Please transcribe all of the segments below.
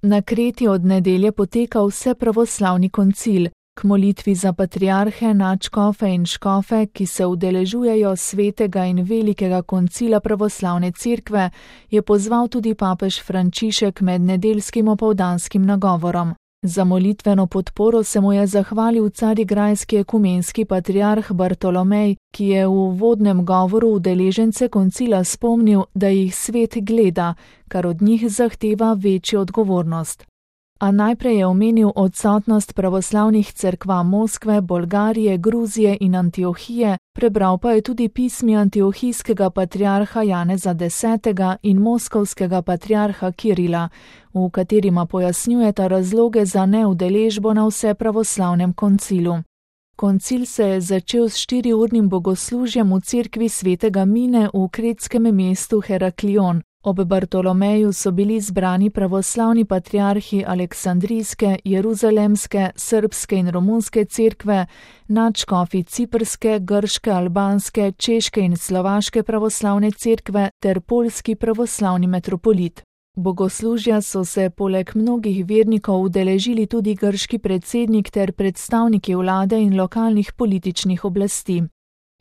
Na Kreti od nedelje poteka vsepravoslavni koncil. K molitvi za patriarhe, nadškofe in škofe, ki se udeležujejo svetega in velikega koncila pravoslavne cerkve, je pozval tudi papež Frančišek med nedeljskim opoldanskim nagovorom. Za molitveno podporo se mu je zahvalil carigrajski ekumenski patriarh Bartolomej, ki je v uvodnem govoru udeležence koncila spomnil, da jih svet gleda, kar od njih zahteva večjo odgovornost. A najprej je omenil odsotnost pravoslavnih cerkva Moskve, Bolgarije, Gruzije in Antiohije, prebral pa je tudi pismi antiohijskega patriarha Janeza X. in moskovskega patriarha Kirila, v katerima pojasnjujeta razloge za neudeležbo na vsepravoslavnem koncilu. Koncil se je začel s 4-urnim bogoslužjem v cerkvi svetega Mine v kretskem mestu Heraklion. Ob Bartolomeju so bili zbrani pravoslavni patriarhi Aleksandrijske, Jeruzalemske, srbske in romunske cerkve, nadškofi ciprske, grške, albanske, češke in slovaške pravoslavne cerkve ter poljski pravoslavni metropolit. Bogoslužja so se poleg mnogih vernikov udeležili tudi grški predsednik ter predstavniki vlade in lokalnih političnih oblasti.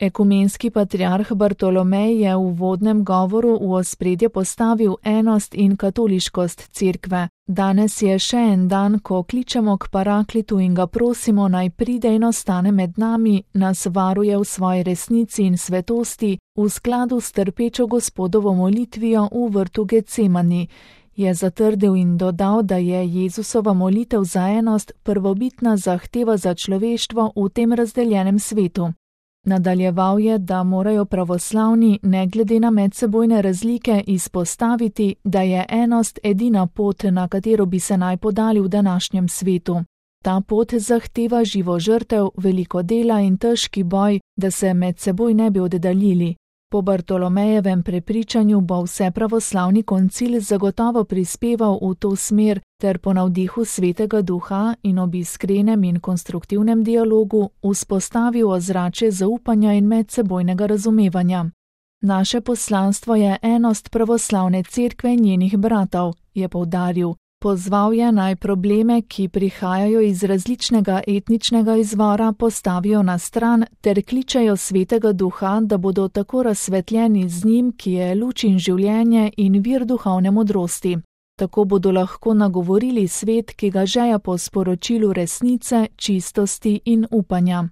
Ekumenski patriarh Bartolomej je v uvodnem govoru v ospredje postavil enost in katoliškost cerkve. Danes je še en dan, ko kličemo k Paraklitu in ga prosimo, naj pride in ostane med nami, nas varuje v svoji resnici in svetosti, v skladu s trpečo Gospodovo molitvijo v vrtu Getsemani, je zatrdil in dodal, da je Jezusova molitev za enost prvobitna zahteva za človeštvo v tem razdeljenem svetu. Nadaljeval je, da morajo pravoslavni, ne glede na medsebojne razlike, izpostaviti, da je enost edina pot, na katero bi se naj podali v današnjem svetu. Ta pot zahteva živo žrtev, veliko dela in težki boj, da se med seboj ne bi oddaljili. Po Bartolomejevem prepričanju bo vsepravoslavni koncil zagotovo prispeval v to smer ter po navdihu Svetega Duha in ob iskrenem in konstruktivnem dialogu vzpostavil ozračje zaupanja in medsebojnega razumevanja. Naše poslanstvo je enost pravoslavne cerkve in njenih bratov, je poudaril. Pozval je naj probleme, ki prihajajo iz različnega etničnega izvora, postavijo na stran ter kličejo Svetega Duha, da bodo tako razsvetljeni z njim, ki je luč in življenje in vir duhovne modrosti. Tako bodo lahko nagovorili svet, ki ga žeja po sporočilu resnice, čistosti in upanja.